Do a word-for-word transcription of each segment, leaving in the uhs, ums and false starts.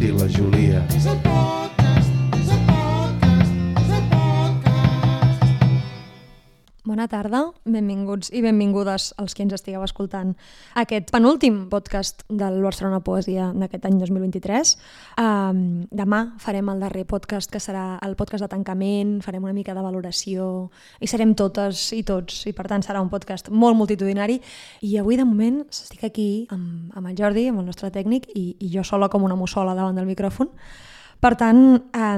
Put i la Júlia. És el podcast, és el podcast, és el podcast. Bona tarda, benvinguts i benvingudes als que ens estigueu escoltant aquest penúltim podcast del Barcelona Poesia d'aquest any dos mil vint-i-tres. Um, demà farem el darrer podcast, que serà el podcast de tancament, farem una mica de valoració i serem totes i tots, i per tant serà un podcast molt multitudinari. I avui de moment estic aquí amb, amb el Jordi, amb el nostre tècnic, i, i jo sola com una mussola davant del micròfon. Per tant, eh,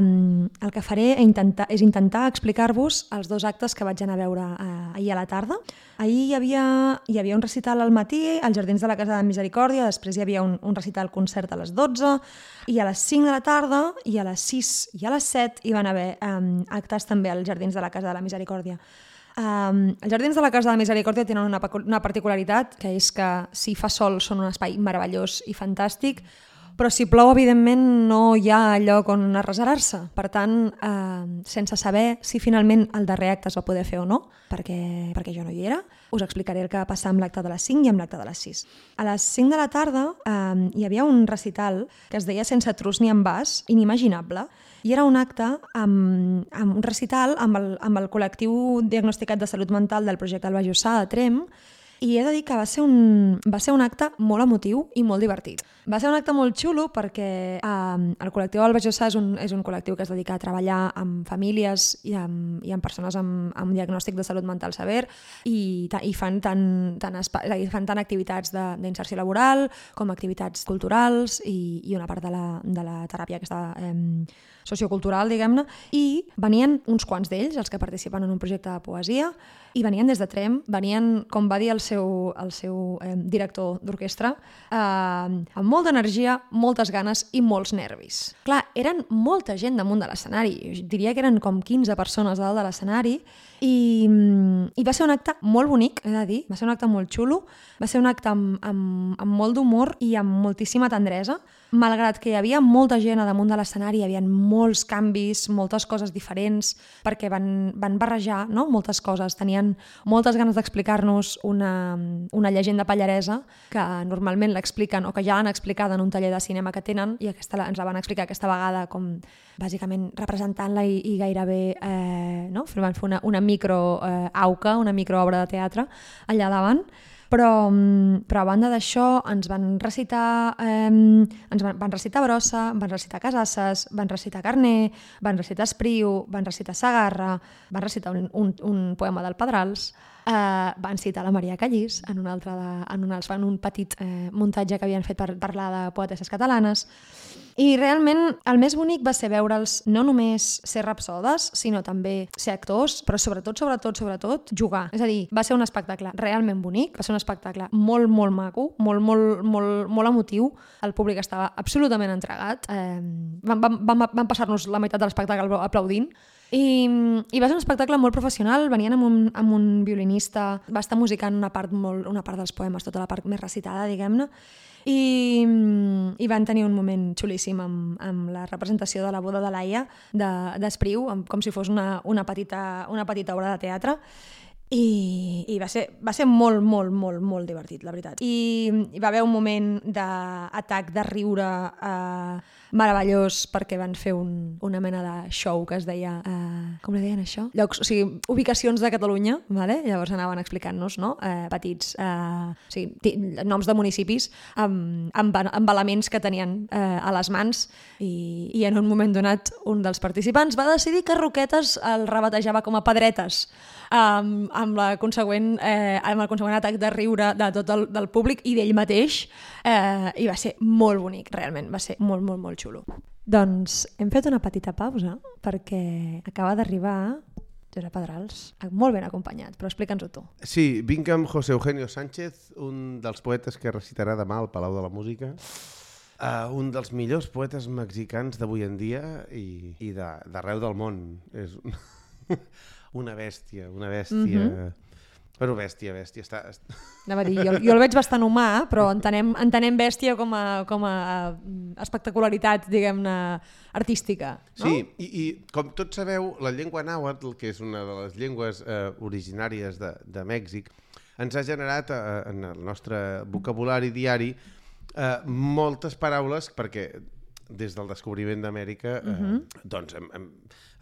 el que faré és intentar, és intentar explicar-vos els dos actes que vaig anar a veure eh, ahir a la tarda. Ahir hi havia, hi havia un recital al matí, als Jardins de la Casa de Misericòrdia, després hi havia un, un recital concert a les dotze, i a les cinc de la tarda, i a les sis i a les set hi van haver eh, actes també als Jardins de la Casa de la Misericòrdia. Um, els Jardins de la Casa de la Misericòrdia tenen una, una particularitat, que és que si fa sol són un espai meravellós i fantàstic, però si plou, evidentment, no hi ha lloc on arreserar-se. Per tant, eh, sense saber si finalment el darrer acte es va poder fer o no, perquè, perquè jo no hi era, us explicaré el que va passar amb l'acte de les cinc i amb l'acte de les sis. A les cinc de la tarda eh, hi havia un recital que es deia Sense trus ni envàs, inimaginable, i era un acte amb, amb un recital amb el, amb el col·lectiu diagnosticat de salut mental del projecte Alba Jussà de Tremp, i he de dir que va ser, un, va ser un acte molt emotiu i molt divertit. Va ser un acte molt xulo perquè eh, el col·lectiu Alba Jussà és un, és un col·lectiu que es dedica a treballar amb famílies i amb, i amb persones amb, amb diagnòstic de salut mental sever, i, i fan, tant, tant, espa, fan tant activitats d'inserció laboral com activitats culturals i, i una part de la, de la teràpia aquesta eh, sociocultural, diguem-ne, i venien uns quants d'ells, els que participen en un projecte de poesia, i venien des de Tremp, venien, com va dir el seu, el seu eh, director d'orquestra, eh, amb molta energia, moltes ganes i molts nervis. Clar, eren molta gent damunt de l'escenari, diria que eren com quinze persones dalt de l'escenari, i, i va ser un acte molt bonic, he de dir, va ser un acte molt xulo, va ser un acte amb, amb, amb molt d'humor i amb moltíssima tendresa, malgrat que hi havia molta gent a damunt de l'escenari, hi havia molts canvis, moltes coses diferents, perquè van, van barrejar, no?, moltes coses. Tenien moltes ganes d'explicar-nos una, una llegenda pallaresa que normalment l'expliquen o que ja l'han explicada en un taller de cinema que tenen, i aquesta ens la van explicar aquesta vegada com bàsicament representant-la i, i gairebé eh, no? van fer una, una micro eh, auca, una microobra de teatre allà davant. Però, però a banda d'això ens van recitar eh, ens van, van recitar Brossa, van recitar Casasses, van recitar Carner, van recitar Espriu, van recitar Sagarra, van recitar un, un, un poema del Pedrals, eh, van citar la Maria Callís en un, altre de, en un, en un petit eh, muntatge que havien fet per parlar de poetesses catalanes. I realment el més bonic va ser veure'ls no només ser rapsodes, sinó també ser actors, però sobretot, sobretot, sobretot, jugar. És a dir, va ser un espectacle realment bonic, va ser un espectacle molt, molt maco, molt, molt, molt, molt emotiu. El públic estava absolutament entregat. Eh, van, van, van, van passar-nos la meitat de l'espectacle aplaudint. I, i va ser un espectacle molt professional, venien amb un, amb un violinista, va estar musicant una part, molt, una part dels poemes, tota la part més recitada, diguem-ne, i, i van tenir un moment xulíssim amb, amb la representació de la boda de Laia d'Espriu, de, com si fos una, una, petita, una petita obra de teatre. I, i va ser, va ser molt, molt, molt, molt divertit, la veritat. I hi va haver un moment d'atac de riure eh, meravellós, perquè van fer un, una mena de show que es deia... Eh, com li deien això? Llocs, o sigui, ubicacions de Catalunya, vale? Llavors anaven explicant-nos, no? eh, petits eh, o sigui, noms de municipis amb, amb, amb elements que tenien eh, a les mans, i, i en un moment donat un dels participants va decidir que Roquetes el rebatejava com a Pedretes, amb, amb, la consegüent, eh, amb el consegüent atac de riure de tot el del públic i d'ell mateix, eh, i va ser molt bonic, realment, va ser molt, molt, molt xulo. Doncs hem fet una petita pausa perquè acaba d'arribar Josep Pedrals, molt ben acompanyat, però explica'ns-ho tu. Sí, vinc amb José Eugenio Sánchez, un dels poetes que recitarà demà al Palau de la Música, uh, un dels millors poetes mexicans d'avui en dia i, i d'arreu del món. És una bèstia, una bèstia... Mm-hmm. Bueno, bèstia, bèstia. Està... Anava a dir, jo, jo el veig bastant humà, però entenem, entenem bèstia com a, com a espectacularitat, diguem-ne, artística. No? Sí, i, i com tots sabeu, la llengua nàhuatl, que és una de les llengües eh, originàries de, de Mèxic, ens ha generat eh, en el nostre vocabulari diari eh, moltes paraules, perquè des del descobriment d'Amèrica, eh, uh-huh. doncs hem, hem,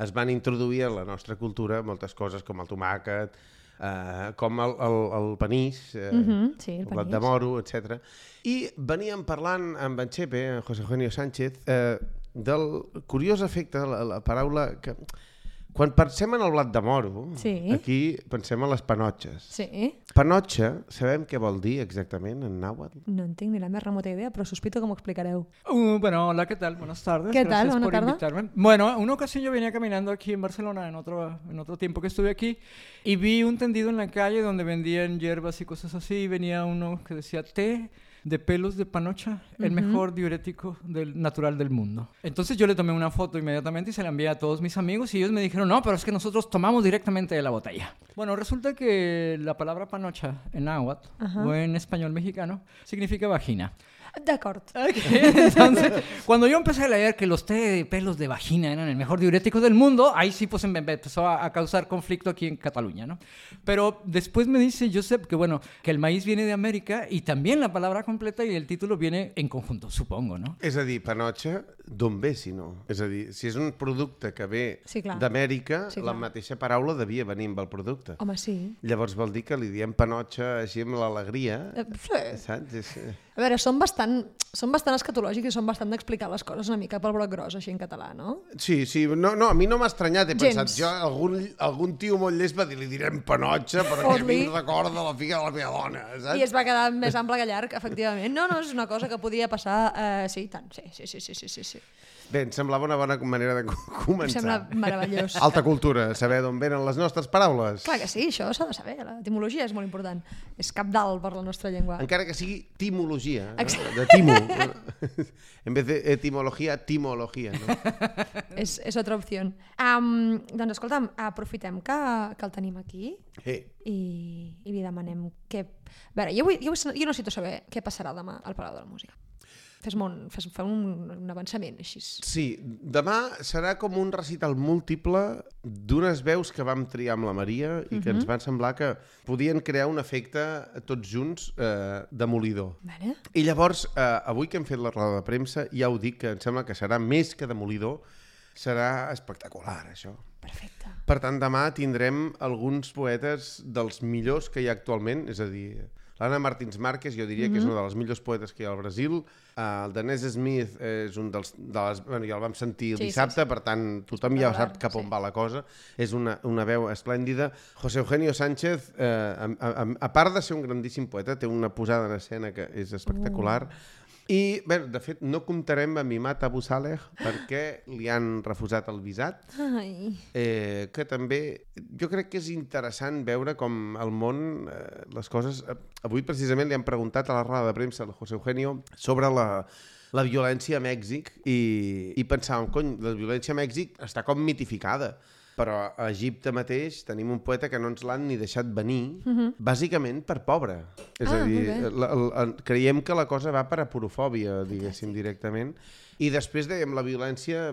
es van introduir a la nostra cultura moltes coses com el tomàquet, eh, com el, el, el panís, eh, uh-huh. sí, el, el blat de moro, etcètera. I veníem parlant amb en Chepe, en José Eugenio Sánchez, eh, del curiós efecte, la, la paraula que... Quan pensem en el blat de moro, sí. aquí pensem en les panotxes. Sí. Panotxa, sabem què vol dir exactament en náhuatl? No en tinc ni la més remota idea, però sospito que m'ho explicareu. Uh, bueno, hola, ¿qué tal? Buenas tardes. ¿Qué tal? Gracias Buena por tarde. invitarme. Bueno, una ocasión yo venía caminando aquí en Barcelona, en otro, en otro tiempo que estuve aquí, y vi un tendido en la calle donde vendían hierbas y cosas así, y venía uno que decía té de pelos de panocha, el uh-huh. mejor diurético del, natural del mundo. Entonces yo le tomé una foto inmediatamente y se la envié a todos mis amigos y ellos me dijeron, no, pero es que nosotros tomamos directamente de la botella. Bueno, resulta que la palabra panocha en náhuatl uh-huh. o en español mexicano significa vagina. D'acord. Okay. Entonces, cuando yo empecé a leer que los té de pelos de vagina eran el mejor diurético del mundo, ahí sí pues me empezó a, a causar conflicto aquí en Cataluña, ¿no? Pero después me dice Josep que bueno, que el maíz viene de América y también la palabra completa y el título viene en conjunto, supongo, ¿no? És a dir, panotxa, d'on ve, si no? És a dir, si és un producte que ve sí, d'Amèrica, sí, la mateixa paraula devia venir amb el producte. Home, sí. Llavors vol dir que li diem panotxa així amb l'alegria. Eh, sí. Saps? És... A veure, són bastant, són bastant escatològics i són bastant d'explicar les coses una mica pel broc gros, així en català, no? Sí, sí. No, no, a mi no m'ha estranyat. He Gens. pensat, jo, algun, algun tio molt llest va dir, li direm panotxa perquè a mi em recorda la figa de la meva dona, saps? I es va quedar més ample que llarg, efectivament. No, no, és una cosa que podia passar... Eh, sí, tant. Sí, sí, sí, sí, sí, sí, sí. Bé, em semblava una bona manera de començar. Em sembla meravellós. Alta cultura, saber d'on venen les nostres paraules. Clar que sí, això s'ha de saber. L'etimologia és molt important. És cabdal per la nostra llengua. Encara que sigui timologia, no? Exacte. De timo. En vez de etimologia, timologia. No? és, és altra opció. Um, doncs escolta'm, aprofitem que, que el tenim aquí Hey. i, i li demanem què... A veure, jo, vull, jo, vull, jo necessito saber què passarà demà al Palau de la Música. Fes-me un, fes, fes un, un avançament, així. Sí, demà serà com un recital múltiple d'unes veus que vam triar amb la Maria i que uh-huh. ens van semblar que podien crear un efecte tots junts eh, demolidor. Vale. I llavors, eh, avui que hem fet la roda de premsa, ja ho dic, que em sembla que serà més que demolidor, serà espectacular, això. Perfecte. Per tant, demà tindrem alguns poetes dels millors que hi ha actualment, és a dir... L'Anna Martins Márquez, jo diria mm-hmm. que és una de les millors poetes que hi ha al Brasil. Uh, el Danès Smith és un dels... De les, bueno, ja el vam sentir el sí, dissabte, sí, sí. per tant, tothom ja sap cap on sí. va la cosa. És una, una veu esplèndida. José Eugenio Sánchez, eh, a, a, a part de ser un grandíssim poeta, té una posada en escena que és espectacular. Uh. I, bé, de fet, no comptarem amb Imad Abu Saleh perquè li han refusat el visat, Ai. eh, que també jo crec que és interessant veure com el món, eh, les coses... Eh, avui precisament li han preguntat a la roda de premsa al José Eugenio sobre la, la violència a Mèxic i, i pensàvem, cony, la violència a Mèxic està com mitificada. Però a Egipte mateix tenim un poeta que no ens l'han ni deixat venir, uh-huh. bàsicament per pobre. És ah, a dir, la, la, creiem que la cosa va per aporofòbia, diguéssim, directament. I després dèiem la violència,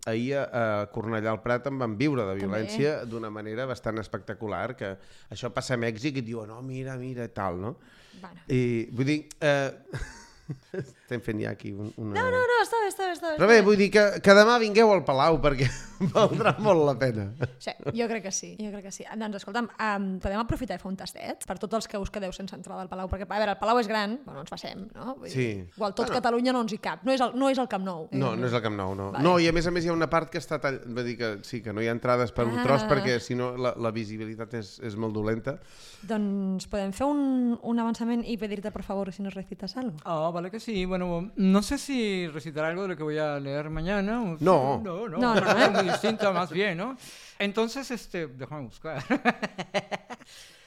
ahir a Cornellà al Prat en van viure de violència d'una manera bastant espectacular, que això passa a Mèxic i et diuen, no, mira, mira, tal, no? Bueno. I vull dir... Eh... Estem fent ja aquí una... No, no, no, està bé, està bé. Està bé Però bé, vull dir que, que demà vingueu al Palau perquè valdrà molt la pena. Sí, jo crec que sí, jo crec que sí. Doncs escolta'm, um, podem aprofitar i fer un tastet per tots els que us quedeu sense entrada al Palau, perquè a veure, el Palau és gran, bueno, ens passem, no? Vull sí. dir, igual tot bueno. Catalunya no ens hi cap, no és el, no és el Camp Nou. No, no és el Camp Nou, no. Vale. No, i a més a més hi ha una part que està tall... Vull dir que sí, que no hi ha entrades per un ah. tros perquè si no la, la visibilitat és, és molt dolenta. Doncs podem fer un, un avançament y pedirte por favor si nos recitas algo. Ah, vale que sí. Bueno, no sé si recitar algo de lo que voy a leer mañana. O no. No, no, no, no, no, es muy distinta más bien, ¿no? Entonces, este, déjame buscar.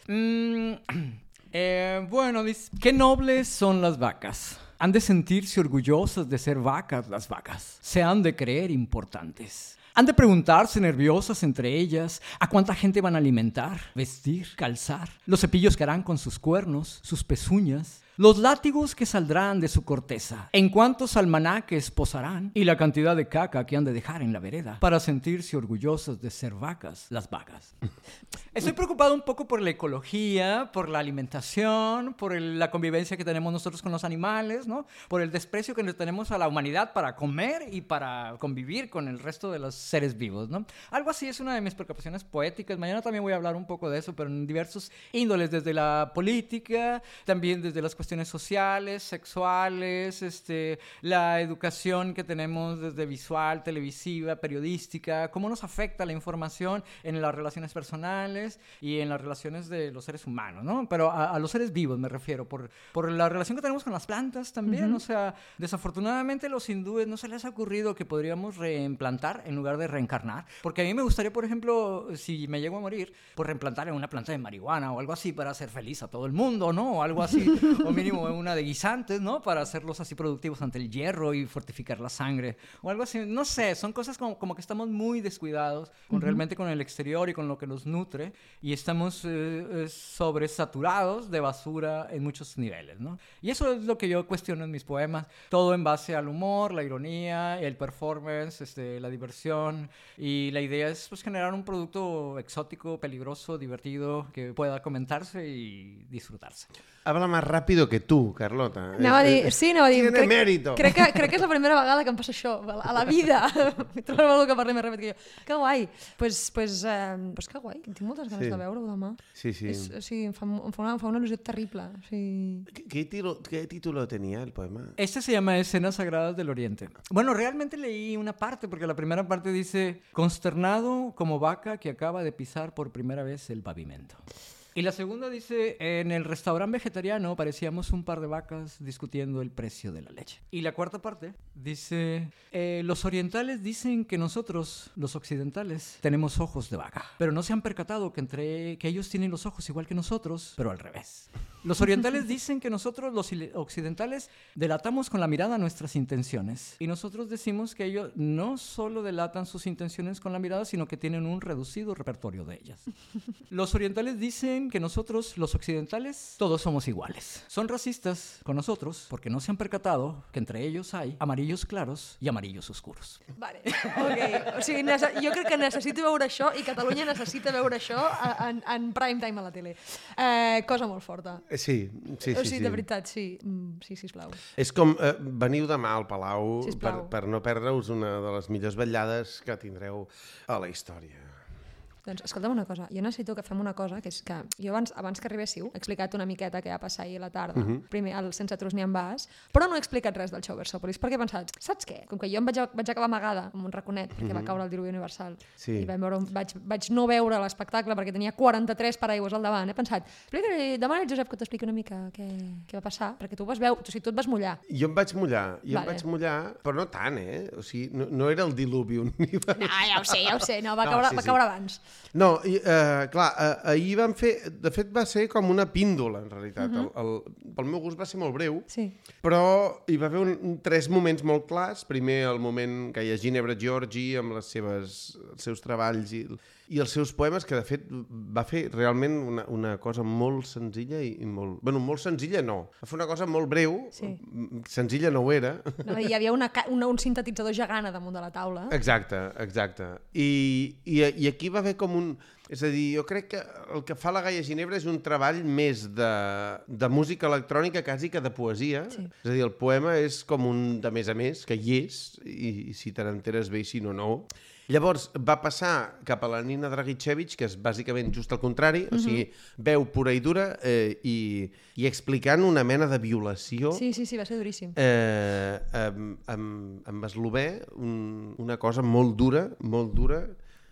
mm, eh, bueno, dice, qué nobles son las vacas. Han de sentirse orgullosas de ser vacas las vacas. Se han de creer importantes. Han de preguntarse nerviosas entre ellas a cuánta gente van a alimentar, vestir, calzar, los cepillos que harán con sus cuernos, sus pezuñas, los látigos que saldrán de su corteza, en cuántos almanaques posarán y la cantidad de caca que han de dejar en la vereda para sentirse orgullosas de ser vacas, las vacas. Estoy preocupado un poco por la ecología, por la alimentación, por el- la convivencia que tenemos nosotros con los animales, ¿no? Por el desprecio que le tenemos a la humanidad para comer y para convivir con el resto de los seres vivos, ¿no? Algo así es una de mis preocupaciones poéticas. Mañana también voy a hablar un poco de eso, pero en diversos índoles, desde la política, también desde las cuestiones sociales, sexuales, este, la educación que tenemos desde visual, televisiva, periodística, cómo nos afecta la información en las relaciones personales y en las relaciones de los seres humanos, ¿no? Pero a, a los seres vivos me refiero, por, por la relación que tenemos con las plantas también. O sea, desafortunadamente a los hindúes no se les ha ocurrido que podríamos reimplantar en lugar de reencarnar, porque a mí me gustaría, por ejemplo, si me llego a morir, pues reimplantar en una planta de marihuana o algo así para hacer feliz a todo el mundo, ¿no? O algo así, o mínimo en una de guisantes, ¿no? Para hacerlos así productivos ante el hierro y fortificar la sangre, o algo así. No sé, son cosas como, como que estamos muy descuidados con, realmente con el exterior y con lo que nos nutre, y estamos eh, eh, sobresaturados de basura en muchos niveles, ¿no? Y eso es lo que yo cuestiono en mis poemas, todo en base al humor, la ironía, el performance, este, la diversión, y la idea es pues generar un producto exótico, peligroso, divertido, que pueda comentarse y disfrutarse. Habla más rápido que tu, Carlota. Anava a És- dir, és- sí, anava a dir, Tiene crec, mérito. crec, que, crec que és la primera vegada que em passa això, a la vida. Trobo algú que parli més ràpid que jo. Que guai. Pues, pues, eh, pues que guai, tinc moltes ganes Sí. de veure-ho demà. Sí, sí. És, o sigui, em fa, em fa, una, em fa una il·lusió terrible. O sigui... ¿Qué, qué tiro- qué título tenía el poema? Este se llama Escenas Sagradas del Oriente. Bueno, realmente leí una parte, porque la primera parte dice, consternado como vaca que acaba de pisar por primera vez el pavimento. Y la segunda dice, en el restaurante vegetariano parecíamos un par de vacas discutiendo el precio de la leche. Y la cuarta parte dice, eh, los orientales dicen que nosotros, los occidentales, tenemos ojos de vaca, pero no se han percatado que, entre, que ellos tienen los ojos igual que nosotros, pero al revés. Los orientales dicen que nosotros, los ile- occidentales, delatamos con la mirada nuestras intenciones. Y nosotros decimos que ellos no solo delatan sus intenciones con la mirada, sino que tienen un reducido repertorio de ellas. Los orientales dicen que nosotros, los occidentales, todos somos iguales. Son racistas con nosotros porque no se han percatado que entre ellos hay amarillos claros y amarillos oscuros. Vale, ok. O sigui, nece- jo crec que necessito veure això i Catalunya necessita veure això a- en, en prime time a la tele. Eh, cosa molt forta. Eh, Sí, sí, o sí. sigui, sí. de veritat, sí. Mm, sí, sisplau. És com, eh, veniu demà al Palau per, Sisplau. per no perdre-us una de les millors vetllades que tindreu a la història. Doncs escolta'm una cosa, jo necessito que fem una cosa, que és que jo abans, abans que arribéssiu he explicat una miqueta què va passar ahir a la tarda, uh -huh. primer el Sense Trus ni en vas, però no he explicat res del show Versòpolis, perquè he pensat, saps què? Com que jo em vaig, vaig acabar amagada amb un raconet, perquè uh -huh. va caure el diluvi universal, Sí. i vaig, veure, vaig, vaig no veure l'espectacle perquè tenia quaranta-tres paraigües al davant, he pensat, explica-li, demana al Josep que t'expliqui una mica què, què va passar, perquè tu vas veure, o sigui, tu et vas mullar. Jo em vaig mullar, jo Vale. em vaig mullar, però no tant, eh? O sigui, no, no era el diluvi universal. No, ja ho sé, ja ho sé, no, va, No, caure, sí, va sí. caure abans. No, i, eh, clar, eh, ahir vam fer... De fet, va ser com una píndola, en realitat. Uh -huh. el, el, pel meu gust va ser molt breu, Sí. però hi va haver un, un, tres moments molt clars. Primer, el moment que hi ha Ginebra Giorgi amb les seves, els seus treballs i, i els seus poemes, que de fet va fer realment una, una cosa molt senzilla i, i molt... Bueno, molt senzilla no. Va fer una cosa molt breu, Sí. senzilla no ho era. No, hi havia una, ca- una, un sintetitzador gegant a damunt de la taula. Exacte, exacte. I, i, I aquí va haver com un... És a dir, jo crec que el que fa la Gaia Ginebra és un treball més de, de música electrònica quasi que de poesia. Sí. És a dir, el poema és com un de més a més, que hi és, i, i si te n'enteres bé i si no, no. Llavors va passar cap a la Nina Dragicevic, que és bàsicament just el contrari, uh -huh. o sigui, veu pura i dura eh, i, i explicant una mena de violació Sí, sí, sí, va ser duríssim. eh, amb, amb, amb eslové, un, una cosa molt dura, molt dura.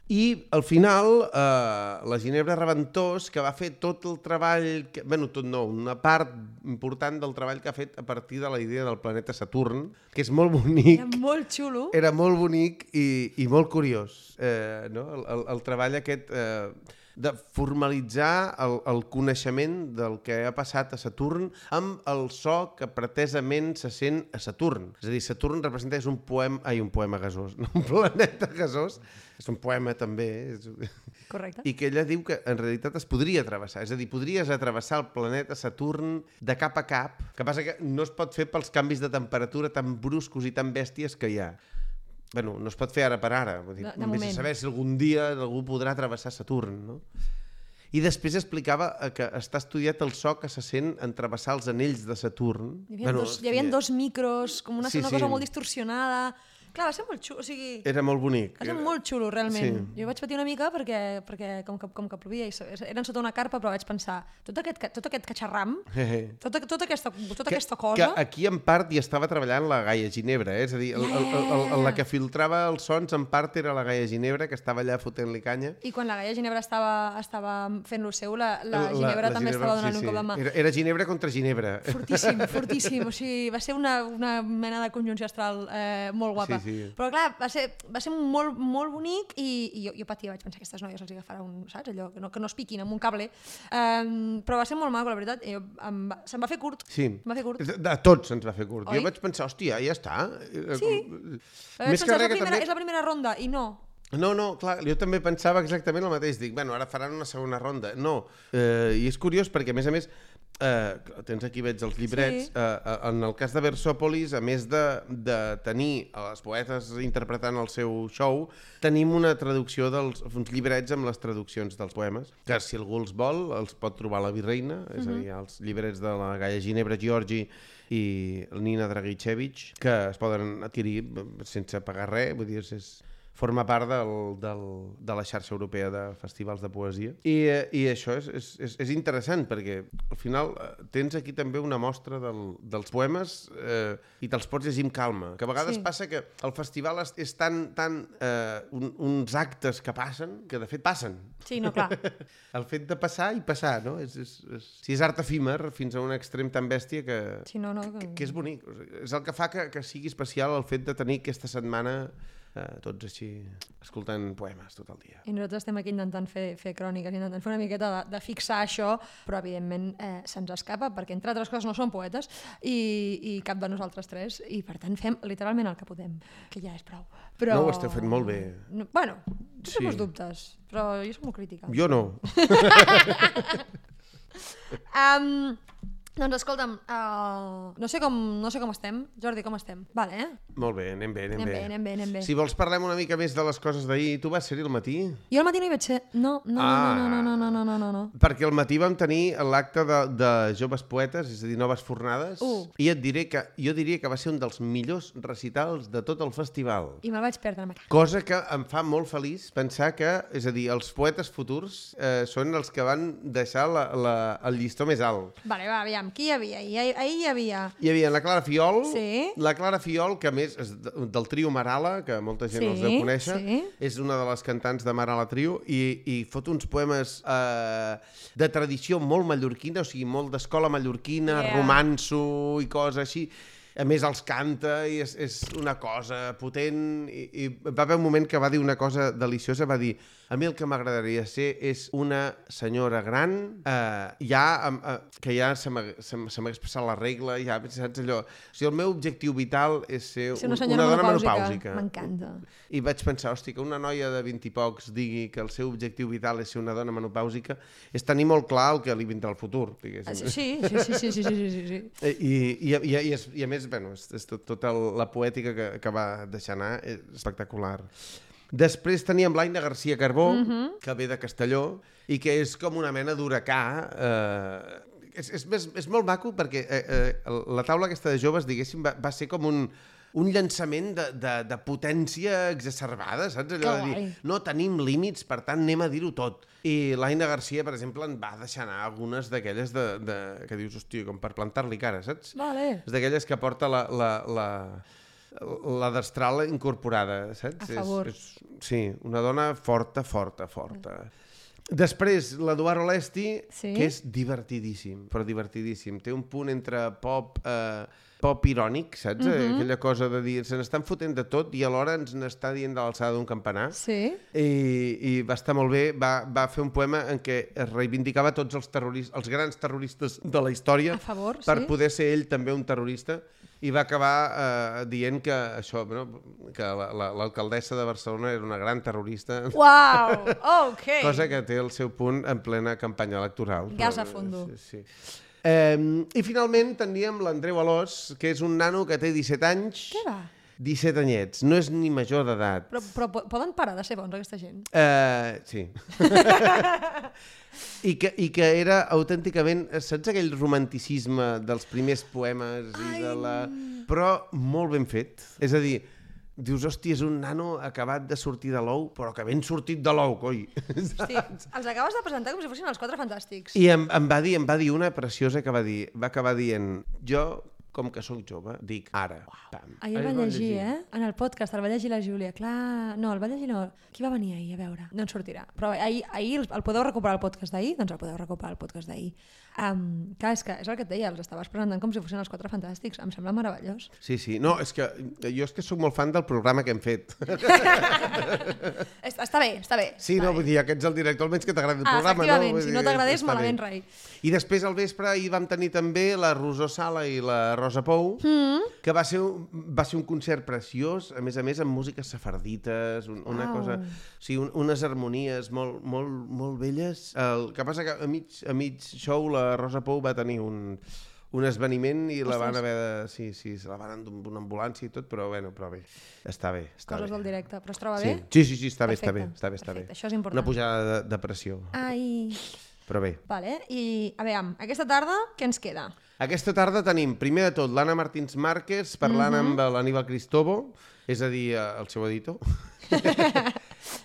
I al final, eh, la Ginebra Reventós, que va fer tot el treball, que, bueno, tot no, una part important del treball que ha fet a partir de la idea del planeta Saturn, que és molt bonic. Era molt xulo. Era molt bonic i, i molt curiós, eh, no? el, el, el treball aquest eh, de formalitzar el, el coneixement del que ha passat a Saturn amb el so que pretesament se sent a Saturn. És a dir, Saturn representa és un poema, ai, un poema gasós, no un planeta gasós, és un poema també, és... Correcte. i que ella diu que en realitat es podria travessar, és a dir, podries atravessar el planeta Saturn de cap a cap, que passa que no es pot fer pels canvis de temperatura tan bruscos i tan bèsties que hi ha. Bueno, no es pot fer ara per ara, vull dir, De- de vés a moment. saber si algun dia algú podrà travessar Saturn, no? I després explicava eh, que està estudiat el so que se sent en travessar els anells de Saturn. Hi havia, bueno, dos, hi havia dos micros, com una, Sí, una sí. cosa molt distorsionada. Clar, va ser molt xulo, o sigui... Era molt bonic. Va ser molt xulo, realment. Sí. Jo vaig patir una mica perquè, perquè com, que, com que plovia i se- eren sota una carpa, però vaig pensar, tot aquest, ca- tot aquest catxarram, tota, tota, aquesta, tota aquesta cosa... Que aquí en part hi estava treballant la Gaia Ginebra, eh? És a dir, el, el, el, el, la que filtrava els sons en part era la Gaia Ginebra, que estava allà fotent-li canya. I quan la Gaia Ginebra estava, estava fent-lo seu, la, la, la Ginebra també Ginebra, estava donant sí, un cop de sí. mà. Era, era Ginebra contra Ginebra. Fortíssim, fortíssim. O sigui, va ser una, una mena de conjunció astral eh, molt guapa. Sí, sí. Però clar, va ser, va ser molt, molt bonic i, i jo, jo patia, vaig pensar que aquestes noies els agafarà un, saps, allò, que no, que no es piquin amb un cable. Um, però va ser molt maco, la veritat. I jo, em va, se'm va fer curt. Sí. Se'm va fer curt. A tots se'ns va fer curt. Oi? Jo vaig pensar, hòstia, ja està. Sí. Vaig Més que pensar, és, res la que primera, també... és la primera ronda, i no. No, no, clar, jo també pensava exactament el mateix. Dic, bueno, ara faran una segona ronda. No, eh, i és curiós perquè, a més a més, eh, tens aquí, veig els llibrets, Sí. eh, en el cas de Versòpolis, a més de, de tenir els poetes interpretant el seu show, tenim una traducció dels uns llibrets amb les traduccions dels poemes, que si algú els vol, els pot trobar a la Virreina, és a dir, els llibrets de la Gaia Ginebra Giorgi i Nina Dragicevic, que es poden adquirir sense pagar res, vull dir, és... forma part del, del, de la xarxa europea de festivals de poesia. I, eh, i això és, és, és, és interessant, perquè al final eh, tens aquí també una mostra del, dels poemes eh, i te'ls pots llegir amb calma. Que a vegades Sí. passa que el festival és, és tan, tan eh, un, uns actes que passen, que de fet passen. Sí, no, clar. El fet de passar i passar, no? És, és, és, si és art efímer fins a un extrem tan bèstia que, Sí, no, no, que, que és bonic. O sigui, és el que fa que, que sigui especial el fet de tenir aquesta setmana eh, tots així escoltant poemes tot el dia. I nosaltres estem aquí intentant fer, fer cròniques, intentant fer una miqueta de, de fixar això, però evidentment eh, se'ns escapa, perquè entre altres coses no som poetes i, i cap de nosaltres tres, i per tant fem literalment el que podem, que ja és prou. Però... No, ho esteu fent molt bé. No, bueno, Sí. tens dubtes, però jo soc molt crítica. Jo no. Um, doncs escolta'm, uh, no, sé com, no sé com estem. Jordi, com estem? Vale, eh? Molt bé, anem bé, anem, Anem bé, anem bé, anem bé. Si vols parlem una mica més de les coses d'ahir. Tu vas ser-hi al matí? Jo al matí no hi vaig ser. No, no, Ah. no, no, no, no, no, no, no, no. Perquè al matí vam tenir l'acte de, de joves poetes, és a dir, noves fornades, Uh. i et diré que jo diria que va ser un dels millors recitals de tot el festival. I me'l vaig perdre, me cago. Cosa que em fa molt feliç pensar que, és a dir, els poetes futurs eh, són els que van deixar la, la, el llistó més alt. Vale, va, aviam, qui hi havia? Hi, ahir hi havia... Hi havia la Clara Fiol, Sí. la Clara Fiol, que a més és de- del trio Marala, que molta gent Sí, els deu conèixer, sí. és una de les cantants de Marala Trio, i, i fot uns poemes eh, de tradició molt mallorquina, o sigui, molt d'escola mallorquina, Yeah. romanço i coses així. A més, els canta i és, és una cosa potent. I, I va haver un moment que va dir una cosa deliciosa, va dir, a mi el que m'agradaria ser és una senyora gran, eh, ja, eh, que ja se m'ha- se m'ha se m'ha expressat la regla, ja, saps allò? O sigui, el meu objectiu vital és ser, Ser un, una senyora una dona menopàusica. menopàusica. M'encanta. I vaig pensar, hosti, que una noia de vint i pocs digui que el seu objectiu vital és ser una dona menopàusica és tenir molt clar el que li vindrà al futur, diguéssim. Ah, sí, sí, sí, sí, sí, sí, sí, sí, sí. Eh, I, i, i, i, és, i a més, bueno, és, és tot, tota la poètica que, que va deixar anar és espectacular. Després teníem l'Aina García Carbó, Mhm. que ve de Castelló, i que és com una mena d'huracà. Eh, és, és, és, és molt maco perquè eh, eh, la taula aquesta de joves, diguéssim, va, va ser com un, un llançament de, de, de potència exacerbada, saps? Allò Que de dir, guai. no tenim límits, per tant anem a dir-ho tot. I l'Aina García, per exemple, en va deixar anar algunes d'aquelles de, de, que dius, hòstia, com per plantar-li cara, saps? Vale. És d'aquelles que porta la, la, la, la destral incorporada, saps? A favor. És, és, sí, una dona forta, forta, forta. Després, l'Eduard Olesti, Sí. que és divertidíssim, però divertidíssim. Té un punt entre pop... Eh, pop irònic, saps? Mhm. Aquella cosa de dir, se n'estan fotent de tot i alhora ens n'està dient de l'alçada d'un campanar. Sí. I, i va estar molt bé, va, va fer un poema en què es reivindicava tots els terroristes, els grans terroristes de la història A favor, per sí. poder ser ell també un terrorista, i va acabar eh, dient que això, no? Que la- la- l'alcaldessa de Barcelona era una gran terrorista, Uau, ok. cosa que té el seu punt en plena campanya electoral. Gas Però, a fondo. Sí, sí. Eh, I finalment teníem l'Andreu Alòs, que és un nano que té disset anys, Què va? disset anyets, no és ni major d'edat. Però, però po- poden parar de ser bons, aquesta gent? Uh, sí. I que, I que era autènticament, saps aquell romanticisme dels primers poemes i de la... Però molt ben fet. És a dir, dius, hòstia, és un nano acabat de sortir de l'ou, però que ben sortit de l'ou, coi. Hosti, els acabes de presentar com si fossin els Quatre Fantàstics. I em, em, va dir, em va dir una preciosa que va dir, va acabar dient, jo, com que sóc jove, dic ara. Pam. Ahir el va llegir, eh? En el podcast el va llegir la Júlia. Clar, no, el va llegir no. Qui va venir ahir a veure? No en sortirà. Però ahir, ahir el, el podeu recuperar el podcast d'ahir? Doncs el podeu recuperar el podcast d'ahir. Um, clar, és que és el que et deia, els estaves presentant com si fossin els Quatre Fantàstics. Em sembla meravellós. Sí, sí. No, és que jo és que sóc molt fan del programa que hem fet. Està bé, està bé. Sí, està no, bé. vull dir, que ets el director, almenys que t'agradi el Ah, programa, no? efectivament, Vull si dir, no t'agradés, està malament bé. rai. I després al vespre hi vam tenir també la Rosó Sala i la Rosa Pou, mm. que va ser, un, va ser un concert preciós, a més a més amb músiques safardites, un, una Uau. cosa, o sigui, un, unes harmonies molt, molt, molt belles. El que passa que a mig, a mig show la Rosa Pou va tenir un, un esveniment i la van haver de... Sí, sí, se la van endur amb una ambulància i tot, però bueno, però bé, està bé. Està Coses bé. del directe. Però es troba Sí. bé? Sí, sí, sí, està bé, Perfecte, està bé, està bé, està perfecte, bé. això és important. Una pujada de, de pressió, Ai... però bé. Vale, i a veure, aquesta tarda què ens queda? Aquesta tarda tenim, primer de tot, l'Anna Martins Márquez parlant Mhm. amb l'Aníbal Cristobo, és a dir, eh, el seu editor.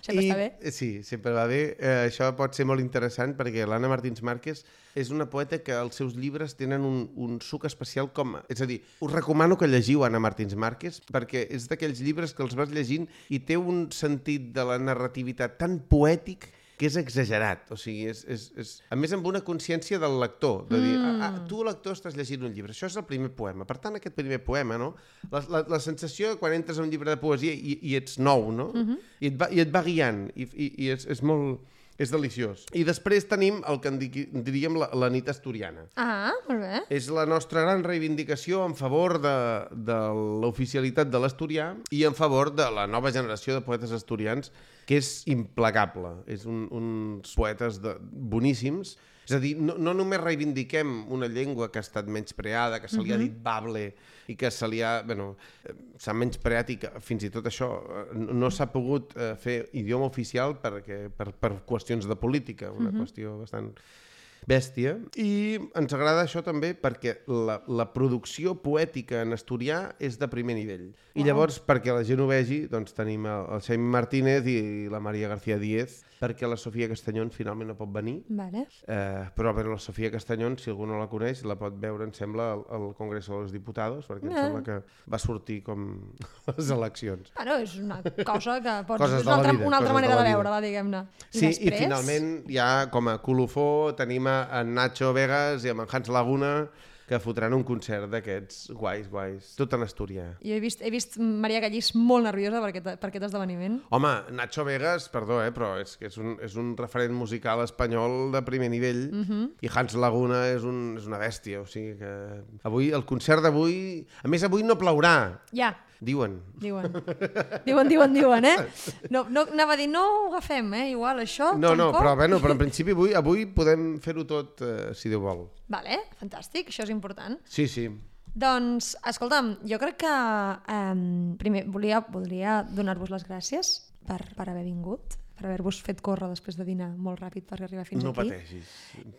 Sempre està bé. Sí, sempre va bé. Eh, això pot ser molt interessant perquè l'Anna Martins Márquez és una poeta que els seus llibres tenen un, un suc especial com... És a dir, us recomano que llegiu Anna Martins Márquez perquè és d'aquells llibres que els vas llegint i té un sentit de la narrativitat tan poètic que és exagerat, o sigui, és, és, és... a més amb una consciència del lector, de dir, mm. ah, ah, tu lector estàs llegint un llibre, això és el primer poema, per tant aquest primer poema, no? La, la, la sensació quan entres a un llibre de poesia i, i ets nou, no? Mm-hmm. I, et va, I et va guiant, i, i, i és, és molt... és deliciós. I després tenim el que en di- diríem la, la nit asturiana. Ah, molt bé. És la nostra gran reivindicació en favor de, de l'oficialitat de l'asturià i en favor de la nova generació de poetes asturians, que és implacable. És un, uns poetes de, boníssims. És a dir, no, no només reivindiquem una llengua que ha estat menyspreada, que se li ha dit bable i que se li ha... Bueno, eh, s'ha menyspreat i que fins i tot això eh, no no s'ha pogut eh, fer idioma oficial perquè, per, per qüestions de política, una qüestió bastant bèstia. I ens agrada això també perquè la, la producció poètica en asturià és de primer nivell. I llavors, perquè la gent ho vegi, doncs tenim el, el Xaime Martínez i la Maria García Díez, perquè la Sofia Castellón finalment no pot venir. Vale. Eh, però bueno, la Sofia Castellón, si algú no la coneix, la pot veure, em sembla, al, al Congreso de los Diputados, perquè em Ah. sembla que va sortir com les eleccions. Bueno, és una cosa que pots... Coses és de una la altra, vida, una altra coses manera de de, la vida. veure-la, diguem-ne. I Sí, després... i finalment ja com a colofó tenim a, en Nacho Vegas i amb en Hans Laguna que fotran un concert d'aquests guais, guais, tot en asturià. Jo he vist, he vist Maria Gallís molt nerviosa per aquest, per aquest esdeveniment. Home, Nacho Vegas, perdó, eh, però és que és un, és un referent musical espanyol de primer nivell Mhm. i Hans Laguna és, un, és una bèstia, o sigui que avui, el concert d'avui... A més, avui no plourà, Ja, diuen. diuen. Diuen, diuen, diuen, eh? No, no, anava a dir, no ho agafem, eh? Igual això, No, no, tampoc. però, bueno, però en principi avui, avui podem fer-ho tot, eh, si Déu vol. Vale, fantàstic, això és important. Sí, sí. Doncs, escolta'm, jo crec que um, primer volia, voldria donar-vos les gràcies per, per haver vingut, per haver-vos fet córrer després de dinar molt ràpid per arribar fins No aquí. pateixis.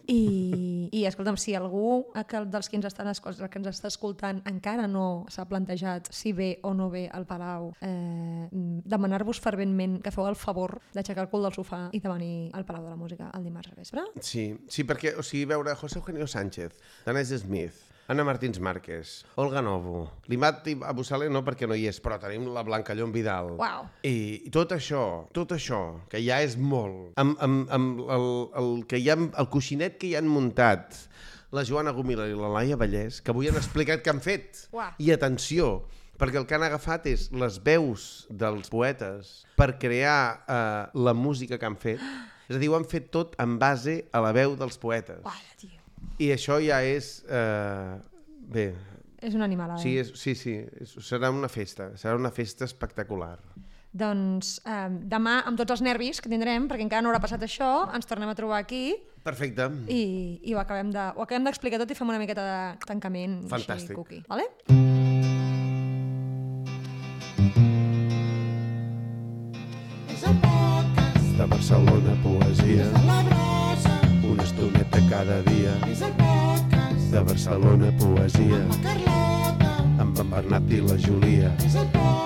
I, I, escolta'm, si algú que, dels que ens, estan, escol- que ens està escoltant encara no s'ha plantejat si ve o no ve al Palau, eh, demanar-vos ferventment que feu el favor d'aixecar el cul del sofà i de venir al Palau de la Música el dimarts al vespre. Sí, sí, perquè, o sigui, veure José Eugenio Sánchez, Danés Smith, Anna Martins Márquez, Olga Novo, l'Imat Abusale no perquè no hi és, però tenim la Blanca Llom Vidal. Uau. I, I tot això, tot això, que ja és molt, amb, amb, amb el, el, que hi ha, el coixinet que hi han muntat la Joana Gomila i la Laia Vallès, que avui han explicat què han fet. Uau. I atenció, perquè el que han agafat és les veus dels poetes per crear eh, la música que han fet. És a dir, ho han fet tot en base a la veu dels poetes. Uau, tio. I això ja és... Eh, bé, És una animalada. sí, és, sí, sí, és, serà una festa, serà una festa espectacular. Doncs eh, demà, amb tots els nervis que tindrem, perquè encara no haurà passat això, ens tornem a trobar aquí Perfecte. i, i ho acabem de, ho acabem d'explicar tot i fem una miqueta de tancament Fantàstic. així cookie. Vale? Barcelona Poesia. Des de la brossa Una estoneta cada dia. és el podcast De Barcelona Poesia. amb la Carlota. Amb en Bernat i la Júlia. És el podcast